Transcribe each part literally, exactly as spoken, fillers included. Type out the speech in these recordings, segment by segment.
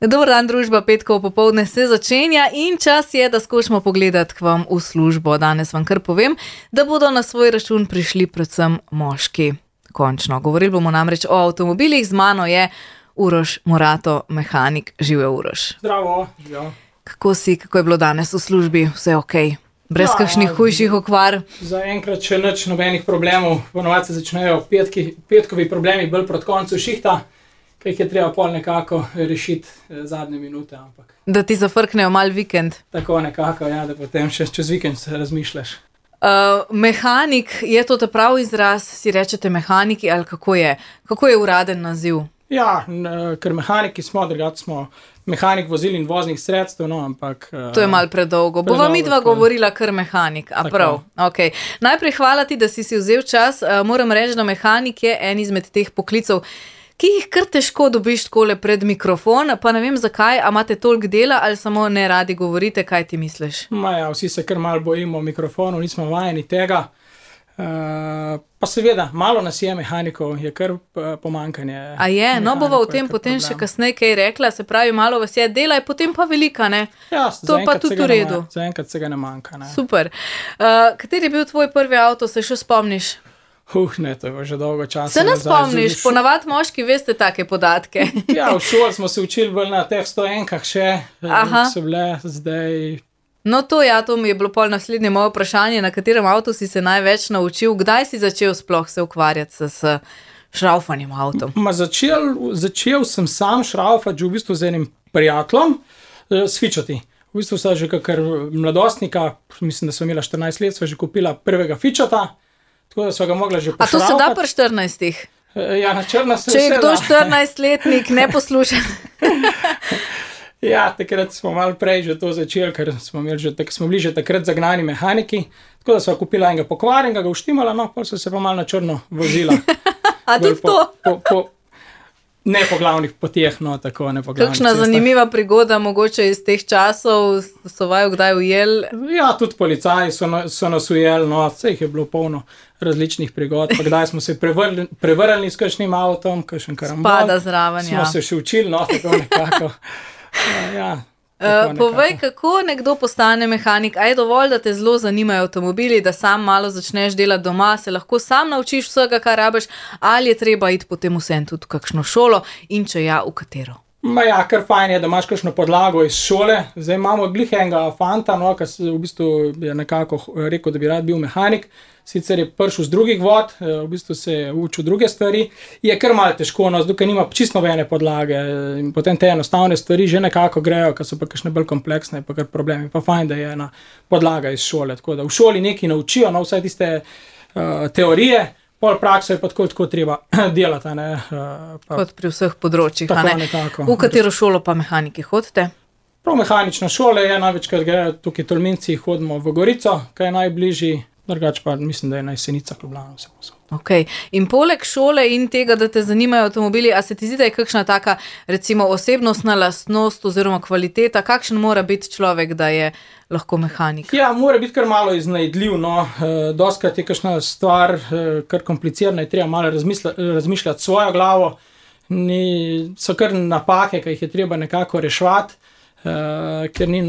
Dober dan, družba, petkov popoldne se začenja in čas je, da skočimo pogledati k vam v službo. Danes vam kar povem, da bodo na svoj račun prišli predvsem moški. Končno. Govorili bomo namreč o avtomobilih. Z mano je Uroš Morato, mehanik. Živijo, Uroš. Zdravo. Ja. Kako si, kako je bilo danes v službi? Vse ok? Brez ja, kakšnih hujših okvar? Za enkrat še nič nobenih problemov. Ponovadi se začnejo petki, petkovi problemi bolj proti koncu šihta, ki jih je treba pol nekako rešiti zadnje minute. Ampak. Da ti zafrknejo mal vikend? Tako nekako, ja, da potem še čez vikend se razmišljaš. Uh, mehanik, je to ta prav izraz? Si rečete mehaniki ali kako je? Kako je uraden naziv? Ja, ker mehaniki smo, drugače smo mehanik vozil in voznih sredstev, no, ampak... To je malo predolgo. Bova midva govorila kar mehanik, a prav? Okay. Najprej hvala ti, da si si vzel čas. Uh, moram reči, da mehanik je en izmed teh poklicov, ki jih kar težko dobiš takole pred mikrofon, pa ne vem zakaj, a imate toliko dela ali samo ne radi govorite, kaj ti misliš? Ma ja, vsi se kar malo bojimo mikrofonov, nismo vajeni tega. Uh, pa seveda, malo nas je mehanikov, je kar pomankanje. A je, no bova o tem potem problem. Še kasneje kaj rekla, se pravi, malo vas je dela, je potem pa velika, ne? Ja, to pa tudi v redu. Zaenkrat se ga ne manjka, ne? Super. Uh, kateri je bil tvoj prvi avto, se še spomniš? Uh, ne, to je že dolgo časa. Se ne spomniš, šu... ponavad moški veste take podatke. Ja, v šoli smo se učili bolj na teh stojenkah še, Aha. so bile zdaj... No to ja, to mi je bilo pol naslednje moje vprašanje, na katerem avtu si se največ naučil, kdaj si začel sploh se ukvarjati s šraufanjem avtom? Ma začel, začel sem sam šraufati v bistvu z enim prijateljem, s fičati. V bistvu sem že kakor mladostnika, mislim, da sem imela štirinajst let, sva že kupila prvega fičata, tako da sva ga mogla že pošraufati. A to se da pri štirinajstih? Ja, na črno se Če je kdo štirinajstletnik, ne posluša. Ja, takrat smo malo prej že to začeli, ker smo, že, tak, smo bili že takrat zagnani mehaniki, tako da sva kupila enega pokvarjenega, ga uštimala, no, pa so se pa malo na črno vozila. A tudi po, to? Po, po, ne po glavnih poteh, no, tako, ne po glavnih Kakšna cestah. Zanimiva prigoda, mogoče iz teh časov, so vaju kdaj ujel? Ja, tudi policaji so, no, so nas ujeli, no, vse jih je bilo polno različnih prigod, pa kdaj smo se prevrli, prevrli s kakšnim avtom, kakšen karambol. Spada zraven, smo ja. se še učili, no, tako nekako. Ja, uh, povej, kako nekdo postane mehanik? A je dovolj, da te zelo zanimajo avtomobili, da sam malo začneš delati doma, se lahko sam naučiš vsega, kar rabiš, ali je treba iti potem vsem tudi v kakšno šolo in če ja, v katero? Ma ja, kar fajn je, da imaš kakšno podlago iz šole. Zdaj imamo glih enega fanta, no, ki v bistvu je nekako rekel, da bi rad bil mehanik. Sicer je prišel z drugih vod, v bistvu se je učil druge stvari. Je kar malo težko, no, zdaj nima čisto nobene podlage in potem te enostavne stvari že nekako grejo, ker so pa kakšne bolj kompleksne, pa kar problemi. Pa fajn, da je ena podlaga iz šole. Tako da v šoli nekaj naučijo, no, vsaj tiste uh, teorije, pol prakso je pa tako, tako treba delati. Ne, uh, pa, kot pri vseh področjih. Tako ne? nekako. V katero šolo pa mehaniki hodite? Prav mehanična šola je, največkrat grejo tukaj Tolminci, hodimo v Gorico, kaj je najbližji. Drugač pa mislim, da je na Jesenicah Ljubljana vse posod. Ok. In poleg šole in tega, da te zanimajo avtomobili, a se ti zdi, da je kakšna taka, recimo, osebnostna lastnost oziroma kvaliteta, kakšen mora biti človek, da je lahko mehanik? Ja, mora biti kar malo iznajdljiv, no. E, doskrat je kakšna stvar e, kar komplicirana, je treba malo razmišljati svojo glavo. Ni, so kar napake, ki jih je treba nekako reševati. Uh, ker ni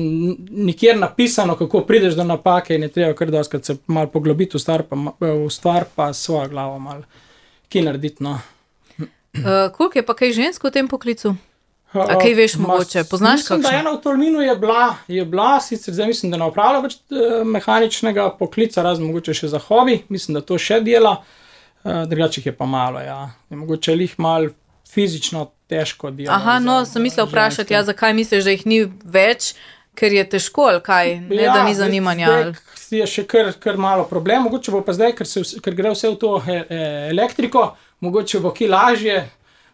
nikjer napisano, kako prideš do napake in je treba kar doskrat se malo poglobiti v stvar, pa, v stvar, pa svojo glavo malo ki narediti, no. Uh, koliko je pa kaj žensk v tem poklicu? Uh, A kaj veš mogoče? Poznaš kakšno? Mislim, da ena v Tolminu je bila, je bila, sicer zdaj mislim, da ne opravlja več uh, mehaničnega poklica, razen mogoče še za hobi, mislim, da to še dela, uh, drugače jih je pa malo, ja. Je mogoče lih malo fizično težko delo. Aha, no, sem mislila vprašati, ja, zakaj misliš, da jih ni več, ker je težko, ali kaj, ne, ja, da ni zanimanja. Zdaj je še kar, kar malo problem, mogoče bo pa zdaj, ker, se, ker gre vse v to e, e, elektriko, mogoče bo ki lažje,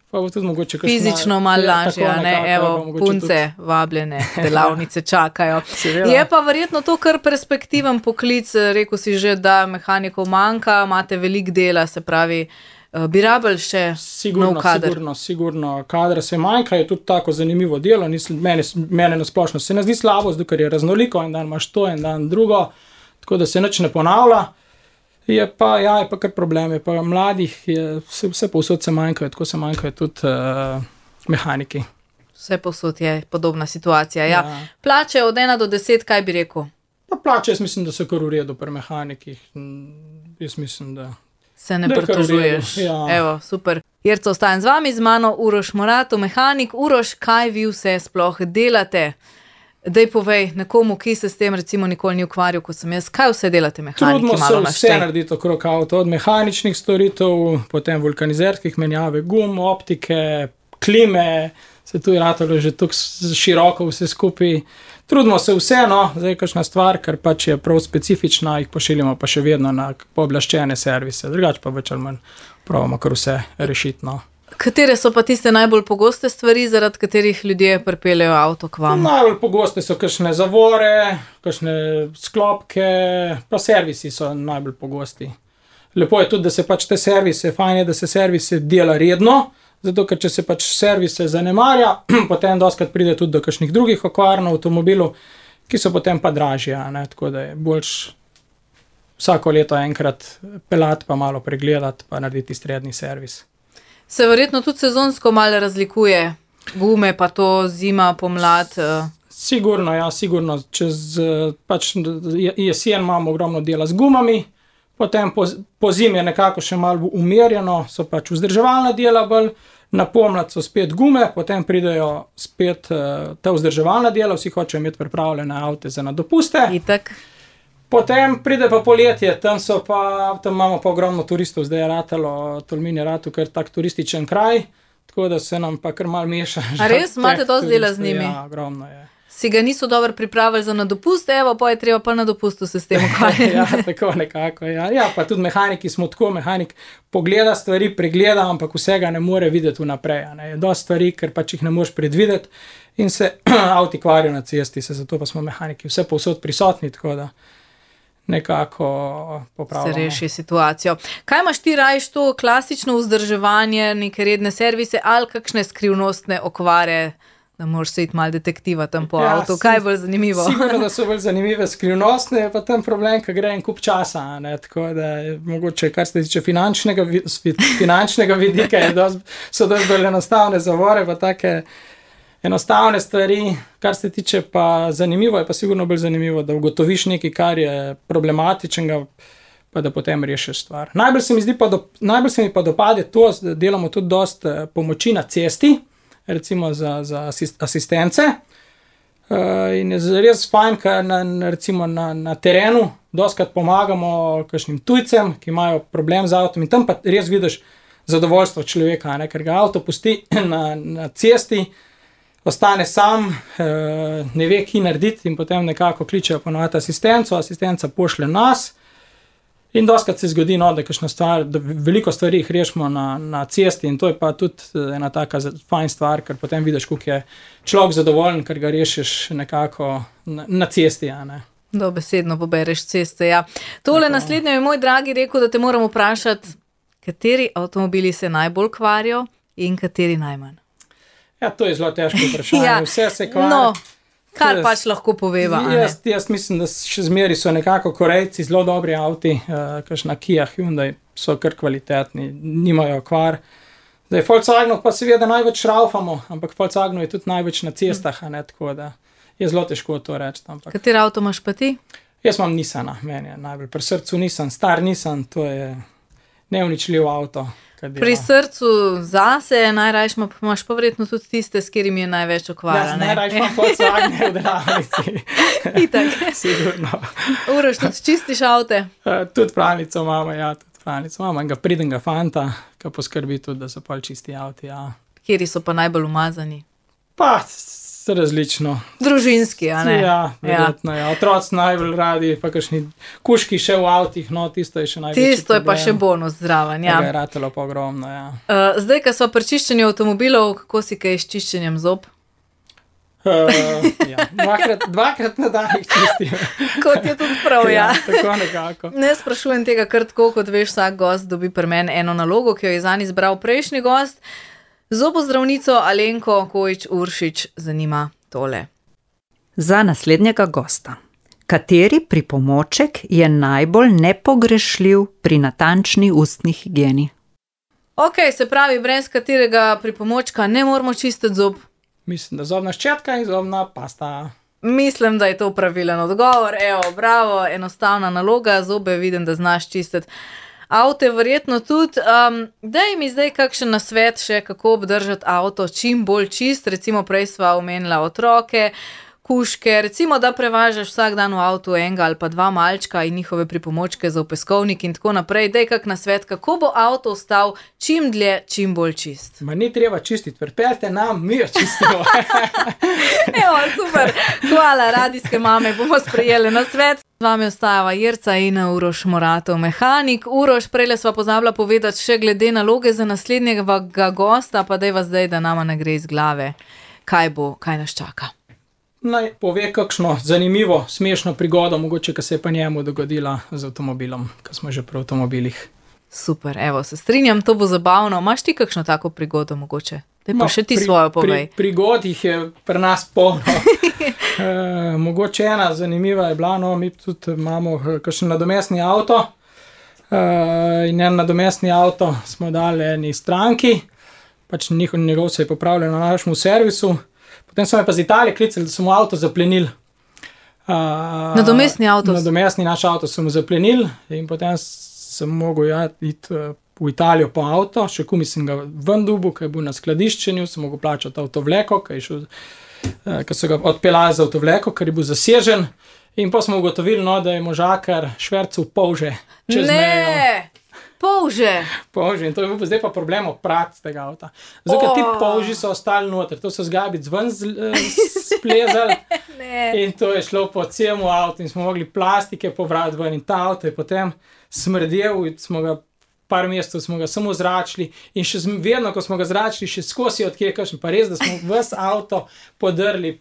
pa bo tudi mogoče kakšna... Fizično malo lažje, ne, nekako, evo, punce tudi... vabljene, delavnice čakajo. Je pa verjetno to kar perspektiven poklic, rekel si že, da mehanikov manjka, imate veliko dela, se pravi... Uh, bi rabili še sigurno, nov kader? Sigurno, sigurno. Kadra se manjka, je tudi tako zanimivo delo. Nisem, mene, mene nasplošno se ne zdi slabo, zato ker je raznoliko, en dan imaš to, en dan drugo, tako da se nič ne ponavlja. Je pa, ja, je pa kar problem, je pa mladih, je, vse, vse povsod se manjkajo, tako se manjkajo tudi uh, mehaniki. Vse posod je podobna situacija. Ja. Ja. Plače od ena do deset, kaj bi rekel? Pa plače, jaz mislim, da so kar v redu pri mehanikih. Jaz mislim, da se ne pritožuješ. Ja. Evo, super. Jerca, ostajam z vami, z mano Uroš Morato, mehanik. Uroš, kaj vi vse sploh delate? Daj povej nekomu, ki se s tem recimo nikoli ni ukvarjal, kot sem jaz, kaj vse delate mehaniki? Trudimo se vse narediti okrog avto, od mehaničnih storitev, potem vulkanizerskih menjave gum, optike, klime, se tu je ratalo že tako široko vse skupaj. Trudimo se vseeno, zdaj kakšna stvar, ker pač je prav specifična, jih pošiljamo pa še vedno na pooblaščene servise, drugače pa več ali manj pravimo kar vse rešiti. No. Katere so pa tiste najbolj pogoste stvari, zaradi katerih ljudje pripeljejo avto k vam? Najbolj pogoste so kakšne zavore, kakšne sklopke, pa servisi so najbolj pogosti. Lepo je tudi, da se pač te servise, fajn je, da se servise dela redno, zato ker če se pač servise zanemarja, potem doskrat pride tudi do kakšnih drugih okvar na avtomobilu, ki so potem pa dražje, ne? Tako da je boljš vsako leto enkrat pelati, pa malo pregledati, pa narediti srednji servis. Se verjetno tudi sezonsko malo razlikuje, gume pa to zima, pomlad? Sigurno, ja, sigurno. Čez pač jesen imamo ogromno dela z gumami, potem po, po zimi je nekako še malo umirjeno, so pač vzdrževalna dela bolj, na pomlad so spet gume, potem pridejo spet uh, ta vzdrževalna dela, vsi hočejo imeti pripravljene avte za na dopuste. Itak. Potem pride pa poletje, tam so pa, tam imamo pa ogromno turistov, zdaj je ratalo, Tolmin je ratal kar tak turističen kraj, tako da se nam pa kar malo meša. A res, imate dosti dela z njimi? Ja, ogromno je. Si ga niso dobro pripravili za na dopust, evo, pa je treba pa na dopustu se s tem ukvarjati. Ja, tako nekako, ja. Ja, pa tudi mehaniki smo tako, mehanik pogleda stvari, pregleda, ampak vsega ne more videti vnaprej, ne. Je dosti stvari, ker pač jih ne moreš predvideti in se avti kvarijo na cesti, se zato pa smo mehaniki vse povsod prisotni, tako da nekako popravljamo. Se reši situacijo. Kaj imaš ti rajiš to klasično vzdrževanje, neke redne servise ali kakšne skrivnostne okvare, da moraš se iti malo detektiva tam po ja, avtu? Kaj je bolj zanimivo? Sigurno, da so bolj zanimive skrivnostne, je pa tam problem, ko gre en kup časa, ne? Tako da je mogoče, kar se tiče finančnega, finančnega vidika, je dost, so dosti bolj enostavne zavore, pa take enostavne stvari, kar se tiče pa zanimivo, je pa sigurno bolj zanimivo, da ugotoviš nekaj, kar je problematičnega, pa da potem rešiš stvar. Najbolj se mi zdi pa, do, najbolj se mi pa dopade to, da delamo tudi dost pomoči na cesti, recimo za, za asist, asistence. Uh, in je res fajn, ker na, recimo na, na terenu dostkrat pomagamo kakšnim tujcem, ki imajo problem z avtom in tam pa res vidiš zadovoljstvo človeka, ne? Ker ga avto pusti na, na cesti, ostane sam, ne ve, ki narediti in potem nekako kličejo ponovati asistenco, asistenca pošlje nas in dostkrat se zgodi, no, da, stvar, da veliko stvari jih rešimo na, na cesti in to je pa tudi ena taka fajn stvar, ker potem vidiš, koliko je človek zadovoljen, ker ga rešiš nekako na, na cesti, ja, ne. Dobesedno pobereš ceste, ja. Tole tako. Naslednje je moj dragi rekel, da te moram vprašati, kateri avtomobili se najbolj kvarijo in kateri najmanj. Ja, to je zelo težko vprašanje. Ja, vse se kvari. No, kar jaz, pač lahko poveva. Jaz, jaz mislim, da še zmeri so nekako Korejci zelo dobri avti, uh, kakšna Kia, Hyundai so kar kvalitetni, nimajo kvar. Zdaj, Volkswagenov pa seveda največ šraufamo, ampak Volkswagenov je tudi največ na cestah, a ne, tako da je zelo težko to reči. Ampak. Kateri avto imaš pa ti? Jaz imam Nissana, meni je najbolj pri srcu Nissan, star Nissan, to je neuničljiv avto. Pri srcu zase najrajš imaš pa verjetno tudi tiste, s katerimi je največ okvara. Ja, najrajš imam Volkswagen v delavnici. Itak. Sigurno. Uroš, tudi čistiš avte? Uh, tudi pravnico imamo, ja, tudi pravnico imamo. Enega pridnega fanta, ki poskrbi tudi, da so pol čisti avti, ja. Kjeri so pa najbolj umazani? Pa, različno. Družinski, a ne? Ja, verjetno, ja. Otroci najbolj radi, pa kakšni kuški še v avtih, no, tisto je še največji problem. Tisto je pa še bonus zraven, ja. Tega je ratelo pa ogromno, ja. Uh, zdaj, ko smo pri čiščenju avtomobilov, kako si kaj s čiščenjem zob? Uh, ja. dvakrat, dvakrat na dan jih čistim. Kot je tudi prav, ja. Ja, tako nekako. Ne sprašujem tega kar tako, kot veš, vsak gost dobi pri meni eno nalogo, ki jo je zanj izbral prejšnji gost. Zobozdravnico Alenko Kojič-Uršič zanima tole. Za naslednjega gosta. Kateri pripomoček je najbolj nepogrešljiv pri natančni ustni higieni? Ok, se pravi, brez katerega pripomočka ne moramo čistiti zob? Mislim, da zobna ščetka in zobna pasta. Mislim, da je to pravilen odgovor. Evo, bravo, enostavna naloga, zobe vidim, da znaš čistiti. Avte verjetno tudi. Um, daj mi zdaj kakšen nasvet še, kako obdržati avto čim bolj čist. Recimo prej sva omenila otroke, kuške, recimo, da prevažaš vsak dan v avtu enega ali pa dva malčka in njihove pripomočke za opeskovnik in tako naprej. Daj kak nasvet, kako bo avto ostal čim dlje, čim bolj čist. Ma ni treba čistiti, pripeljte nam, mi jo čistimo. Evo, super. Hvala, radijske mame, bomo sprejeli nasvet. Z vami ostajava Jerca in Uroš Moratov, mehanik. Uroš, prejle sva pozabila povedati še glede naloge za naslednjega gosta, pa daj vas zdaj, da nama ne gre iz glave. Kaj bo, kaj nas čaka? Naj pove kakšno zanimivo, smešno prigodo, mogoče, ki se je pa njemu dogodila z avtomobilom, ko smo že pri avtomobilih. Super, evo, se strinjam, to bo zabavno. Imaš ti kakšno tako prigodo mogoče? Daj pa še ti pri, svojo povej. Pri, prigod jih je pri nas polno. e, mogoče ena zanimiva je bila, no, mi tudi imamo kakšen nadomestni avto e, in en nadomestni avto smo dali eni stranki, pač njihov, njegov se je popravljal na našemu servisu. Potem so me pa z Italije klicali, da so mu avto zaplenili. Uh, nadomestni avto? Nadomestni naš avto so mu zaplenili in potem sem mogel ja, iti uh, v Italijo po avto, še kumi sem ga ven dubu, ker je bil na skladiščenju, sem mogel plačati avtovleko, ker uh, so ga odpeljali z avtovleko, ker je bil zasežen. In pa smo ugotovili, no, da je možakar švercel polže čez mejo. Ne! Polže. Polže. In to je bil zdaj pa problem oprati tega avta. Zato, ker ti polži so ostali noter. To so zgabic ven splezali. In to je šlo po celemu avtu in smo mogli plastike pobrati ven. In ta avto je potem smrdel in smo ga par mesecev smo ga samo zračili. In še vedno, ko smo ga zračili, še skozi odkje kakšen. Pa res, da smo ves avto podrli,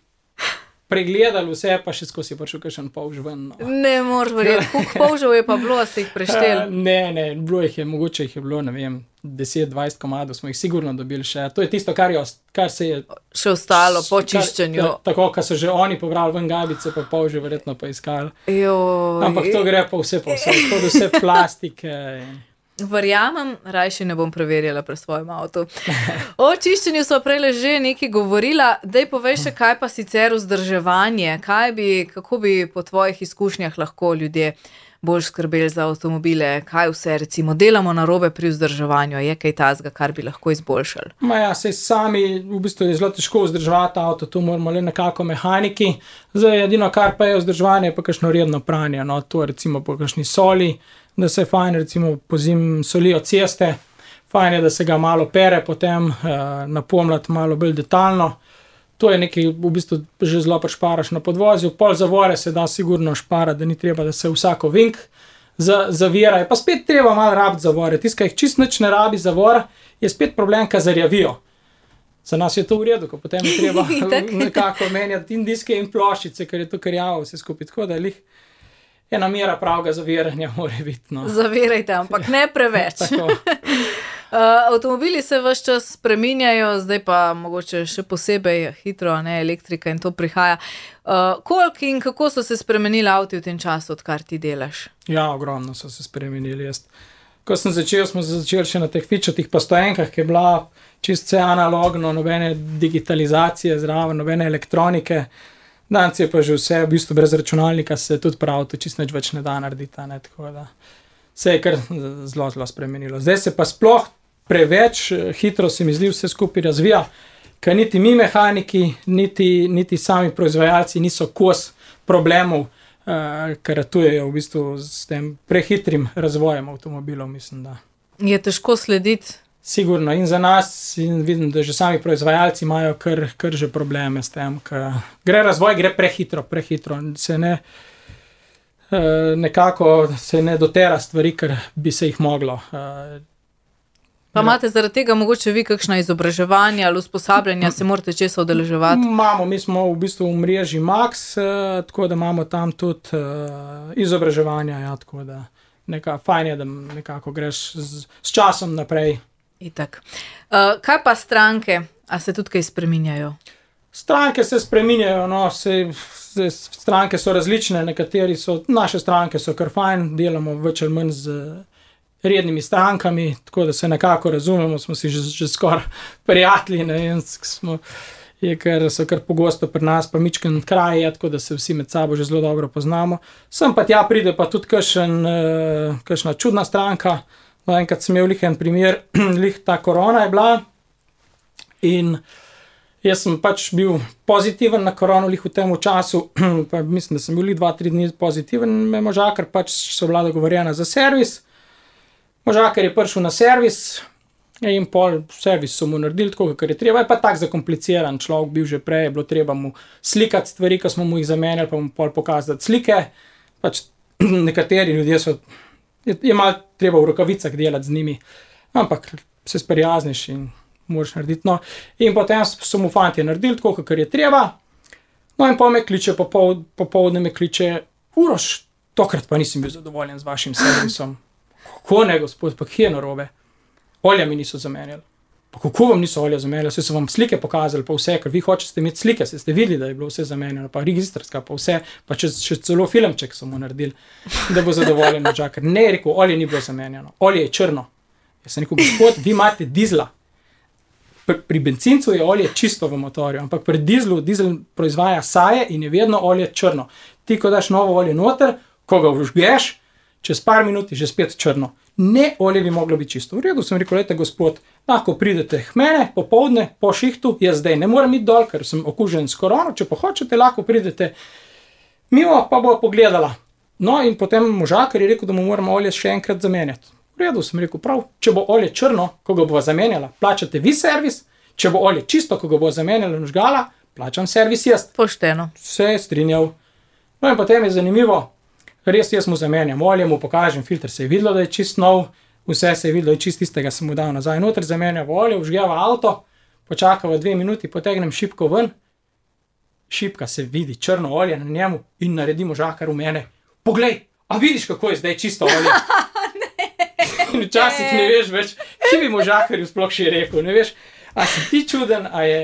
pregledali vse, pa še skozi je prišel kakšen polž ven. No. Ne moreš verjeti, koliko polžev je pa bilo, ste jih prešteli? Uh, ne, ne, bilo jih je, mogoče jih je bilo, ne vem, deset dvajset komadov smo jih sigurno dobili še. To je tisto, kar, je, kar se je... Še ostalo po čiščenju. Kar, tako, kar so že oni pobrali ven gabice, pa polže verjetno pa iskali. Joj. Ampak to gre pa vse po vse, to vse plastike... Verjamem, rajši ne bom preverjala pri svojem avtu. O čiščenju smo prej že nekaj govorila, daj povej še, kaj pa sicer vzdrževanje, kaj bi, kako bi po tvojih izkušnjah lahko ljudje bolj skrbeli za avtomobile, kaj vse recimo delamo narobe pri vzdrževanju, je kaj tazga, kar bi lahko izboljšali? Ma ja, sej sami v bistvu je zelo težko vzdrževati avto, tu moramo le nekako mehaniki, zdaj edino kar pa je vzdrževanje, pa kakšno redno pranje, no, to recimo po kakšni soli, da se fajn recimo pozim solijo ceste, fajn je, da se ga malo pere, potem eh, napomljati malo bolj detaljno. To je nekaj, v bistvu že zelo šparaš na podvozju, pol zavore se da sigurno šparati, da ni treba, da se vsako vink za, zavira. Je pa spet treba malo rabiti zavore. Tiska jih čist nič ne rabi zavor, je spet problem, ka zarjavijo. Za nas je to v redu, ko potem je treba nekako menjati in diske in ploščice, ker je to karjavo vse skupaj. Tako da je lih ena mera pravega zaviranja mora biti. No. Zavirajte, ampak ne preveč. uh, avtomobili se ves čas spreminjajo, zdaj pa mogoče še posebej hitro, ne, elektrika in to prihaja. Uh, koliko in kako so se spremenili avti v tem času, odkar ti delaš? Ja, ogromno so se spremenili. Jaz. Ko sem začel, smo začeli še na teh fičatih postojenkah, ki je bila čist vse analogno, nobene digitalizacije zraven, nobene elektronike. Danes je pa že vse, v bistvu brez računalnika se tudi prav, to čist nič več ne da narediti, ne, tako da se je kar zelo, zelo spremenilo. Zdaj se pa sploh preveč hitro se mi zdi vse skupaj razvija, ker niti mi mehaniki, niti, niti sami proizvajalci niso kos problemov, uh, ker ratujejo v bistvu s tem prehitrim razvojem avtomobilov, mislim, da. Je težko slediti? Sigurno in za nas in vidim, da že sami proizvajalci imajo kar, kar že probleme s tem, ker gre razvoj, gre prehitro, prehitro, se ne nekako se ne dotera stvari, ker bi se jih moglo. Pa imate zaradi tega mogoče vi kakšna izobraževanja ali usposabljanja, se morate česa udeleževati? Imamo, mi smo v bistvu v mreži Max, tako da imamo tam tudi izobraževanja, ja, tako da neka, fajn je, da nekako greš z, s časom naprej. Itak. Uh, kaj pa stranke? A se tudi kaj spreminjajo? Stranke se spreminjajo, no, se, se, stranke so različne, nekateri so, naše stranke so kar fajn, delamo več ali manj z rednimi strankami, tako da se nekako razumemo, smo si že, že skoraj prijatelji, ne vem, smo je, ker so kar pogosto pri nas, pa mičken kraj je, tako da se vsi med sabo že zelo dobro poznamo. Sem pa tja pride pa tudi kakšen, uh, kakšna čudna stranka. No, enkrat sem imel lih en primer, lih ta korona je bila in jaz sem pač bil pozitiven na korono lih v tem času, pa mislim, da sem bil lih dva, tri dni pozitiven, me možakar pač so bila dogovorjena za servis. Možakar je prišel na servis in pol servis so mu naredili tako, kar je treba. Je pa tak zakompliciran človek bil že prej, je bilo treba mu slikati stvari, ko smo mu jih zamenjali, pa mu pol pokazati slike. Pač nekateri ljudje so, je, je malo treba v rokavicah delati z njimi, ampak se sprijazniš in moraš narediti. No. In potem so mu fantje naredili tako, kar je treba. No in pol me kliče, popol, popoldne me kliče, Uroš, tokrat pa nisem bil zadovoljen z vašim servisom. Kako ne, gospod, pa kje je narobe? Olja mi niso zamenjali. Pa kako vam niso olja zamenjali? Vse so vam slike pokazali, pa vse, ker vi hočete imeti slike, se ste videli, da je bilo vse zamenjeno, pa registrska, pa vse, pa če, še celo filmček so mu naredili, da bo zadovoljen možakar. Ne, je rekel, olje ni bilo zamenjeno, olje je črno. Jaz sem rekel, gospod, vi imate dizla. Pri, pri bencincu je olje čisto v motorju, ampak pri dizlu, dizel proizvaja saje in je vedno olje črno. Ti, ko daš novo olje noter, ko ga vžgeš, čez par minut je že spet črno. Ne, olje bi moglo biti čisto. V redu sem rekel, lejte gospod, lahko pridete k mene popoldne, po šihtu, jaz zdaj ne moram iti dol, ker sem okužen s korono, če pa hočete, lahko pridete mimo, pa bo pogledala. No in potem možakar je rekel, da mu moramo olje še enkrat zamenjati. V redu sem rekel, prav, če bo olje črno, ko ga bo zamenjala, plačate vi servis, če bo olje čisto, ko ga bo zamenjala in žgala, plačam servis jaz. Pošteno. Vse je strinjal. No in potem je zanimivo, res jaz mu zamenjam olje, mu pokažem, filter se je videlo, da je čist nov, vse se je videlo, da je čist tistega, sem mu dal nazaj noter, zamenjava olje, vžgeva avto, počakava dve minuti, potegnem šipko ven, šipka se vidi, črno olje na njemu in naredi možakar v mene. Poglej, a vidiš, kako je zdaj čisto olje? In včasih ne veš več, ki bi možakarju sploh še rekel, ne veš, a si ti čuden, a je...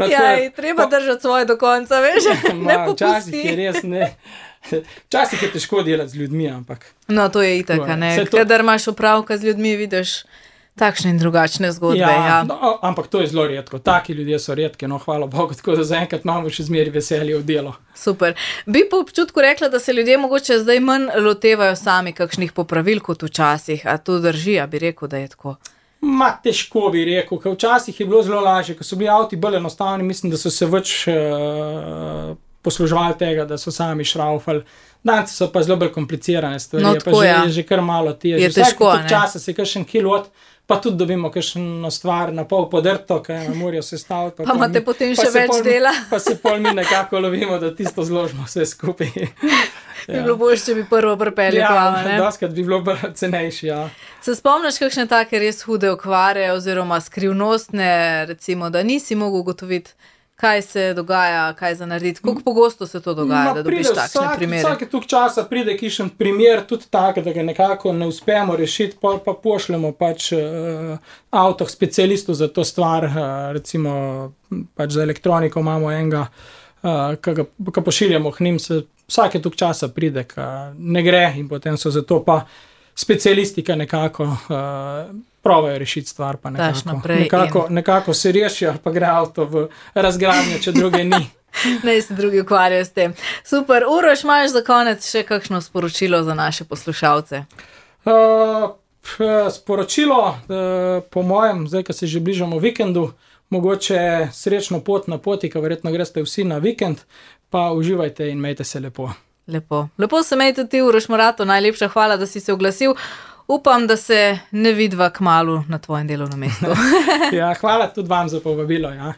No, ja, je treba po... držati svoje do konca, veš, ne popusti. Včasih je res, ne... Včasih je težko delati z ljudmi, ampak... No, to je itak, ne. To... Kadar imaš opravka z ljudmi, vidiš takšne in drugačne zgodbe. Ja, ja. No, ampak to je zelo redko. Taki ljudje so redki, no, hvala Bogu, tako da zaenkrat imamo še zmeri veselje v delo. Super. Bi po občutku rekla, da se ljudje mogoče zdaj manj lotevajo sami kakšnih popravil kot včasih, a to drži, a bi rekel, da je tako? Ma, težko bi rekel, ker včasih je bilo zelo lažje, ko so bili avti bolj enostavni, mislim, da so se več... Uh, posluževali tega, da so sami šraufali. Danes so pa zelo bolj komplicirane stvari, no, pa že, ja. že kar malo težje. Je težko, ne? Vsak časa se kakšen kilot, pa tudi dobimo kakšno stvar na pol podrto, kaj ne morajo se staviti. Pa, pa imate mi, potem še več pol, dela. Pa se pol mi nekako lovimo, da tisto zložimo vse skupaj. Ja. Bi bilo bolj, če bi prvo pripeli ja, plava, ne? Ja, doskrat bi bilo bolj cenejši, ja. Se spomniš kakšne take res hude okvare oziroma skrivnostne, recimo, da nisi mogel ugotoviti, kaj se dogaja, kaj za narediti? Koliko pogosto se to dogaja, Ma, da dobiš takšne vsak, primere? Vsake tuk časa pride kišen primer, tudi tak, da ga nekako ne uspemo rešiti, pa, pa pošljemo pač uh, avtoh specialistov za to stvar, uh, recimo pač za elektroniko imamo enega, uh, ki ga pošiljamo k njim, se vsake tuk časa pride, ki ne gre in potem so zato pa specialisti, ki nekako uh, provajo rešiti stvar, pa nekako, nekako, in... nekako se rešijo, pa gre avto v razgradnjo, če druge ni. Ne se drugi ukvarjajo s tem. Super, Uroš, imaš za konec še kakšno sporočilo za naše poslušalce? Uh, sporočilo, uh, po mojem, zdaj, ko se že bližamo vikendu, mogoče srečno pot na poti, ko verjetno greste vsi na vikend, pa uživajte in imejte se lepo. Lepo. Lepo se mej tudi ti, Uroš Morato, najlepša hvala, da si se oglasil. Upam, da se ne vidva kmalu na tvojem delovnem mestu. Ja, hvala tudi vam za povabilo, ja.